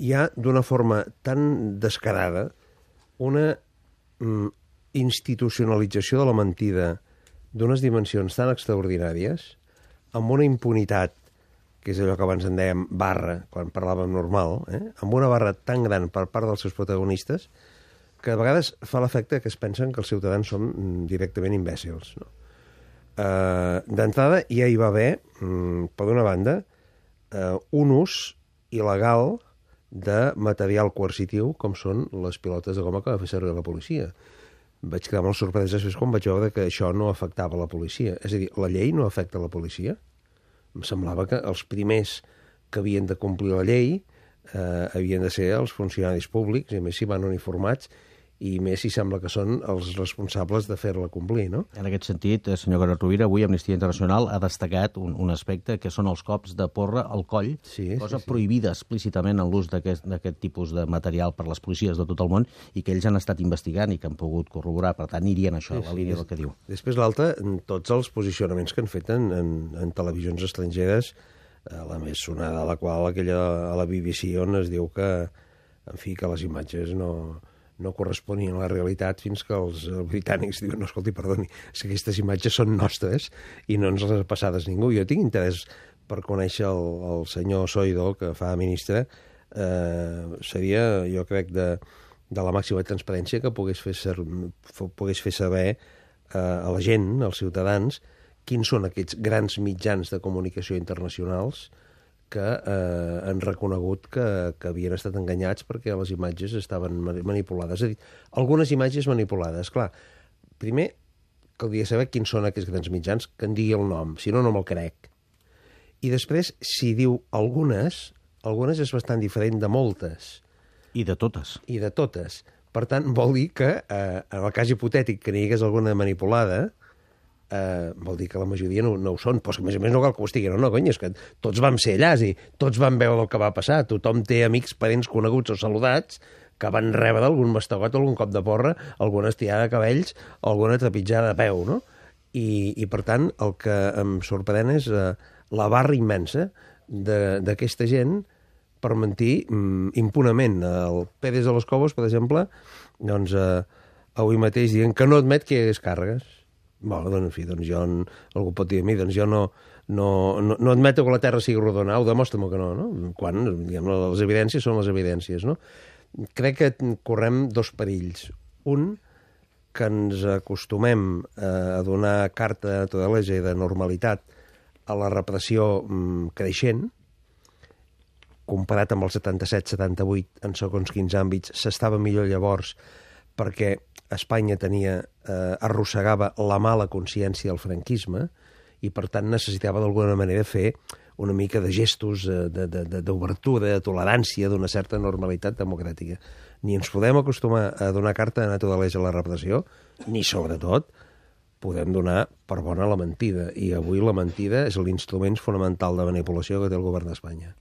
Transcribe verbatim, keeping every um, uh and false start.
hi ha d'una forma tan descarada una mm, institucionalització de la mentida d'unes dimensions tan extraordinàries, amb una impunitat, que és allò que abans en dèiem barra, quan parlàvem normal, eh? amb una barra tan gran per part dels seus protagonistes, que a vegades fa l'efecte que es pensen que els ciutadans són directament imbècils. No? Uh, D'entrada, ja hi va haver, um, per una banda, uh, un ús il·legal de material coercitiu, com són les pilotes de goma que va fer servir la policia. Vaig quedar molt sorprès després quan vaig veure que això no afectava la policia. És a dir, la llei no afecta la policia. Em semblava que els primers que havien de complir la llei eh, havien de ser els funcionaris públics, i a més si van uniformats, i més si sembla que són els responsables de fer-la complir, no? En aquest sentit, senyor Carod Rovira, avui Amnistia Internacional ha destacat un, un aspecte que són els cops de porra al coll, sí, cosa sí, sí. prohibida explícitament en l'ús d'aquest tipus de material per les policies de tot el món i que ells han estat investigant i que han pogut corroborar, per tant, anirien això, sí, a la línia sí, del que diu. Després l'altra, tots els posicionaments que han fet en, en, en televisions estrangeres, eh, la més sonada de la qual, aquella a la B B C, on es diu que, en fi, que les imatges no... no corresponien a la realitat fins que els britànics diuen, no, escolti, perdoni, és que aquestes imatges són nostres i no ens les ha passades ningú. Jo tinc interès per conèixer el, el senyor Soidel, que fa ministre, eh, seria, jo crec, de, de la màxima transparència que pogués fer, ser, pogués fer saber eh, a la gent, als ciutadans, quins són aquests grans mitjans de comunicació internacionals que eh, han reconegut que, que havien estat enganyats perquè les imatges estaven manipulades. És a dir, algunes imatges manipulades. Clar, primer caldria saber quins són aquests grans mitjans, que en digui el nom, si no, no me'l crec. I després, si diu algunes, algunes és bastant diferent de moltes. I de totes. I de totes. Per tant, vol dir que, eh, en el cas hipotètic que n'hi hagués alguna manipulada, Uh, vol dir que la majoria no, no ho són, però a més a més no cal que ho estiguin, no, no, cony, és que tots vam ser allà, i tots vam veure el que va passar, tothom té amics, parents coneguts o saludats que van rebre algun mastegot, algun cop de porra, alguna estirada de cabells, alguna trepitjada de peu, no? I, i per tant, el que em sorprèn és uh, la barra immensa d'aquesta gent per mentir um, impunament. El Pérez de los Cobos, per exemple, doncs uh, avui mateix dient que no admet que hi hagués càrregues. Bueno, doncs, en fi, doncs jo, algú pot dir a mi, doncs jo no, no, no, no admeto que la Terra sigui rodona, au, demostra-m'ho que no, no? Quan, diguem, les evidències són les evidències, no? Crec que correm dos perills. Un, que ens acostumem a donar carta de naturalesa i de normalitat a la repressió mm, creixent, comparat amb el setanta-set setanta-vuit, en segons quins àmbits, s'estava millor llavors perquè Espanya tenia, eh, arrossegava la mala consciència del franquisme i, per tant, necessitava d'alguna manera fer una mica de gestos d'obertura, de, de, de tolerància, d'una certa normalitat democràtica. Ni ens podem acostumar a donar carta de naturalesa a la repressió, ni, sobretot, podem donar per bona la mentida. I avui la mentida és l'instrument fonamental de manipulació que té el govern d'Espanya.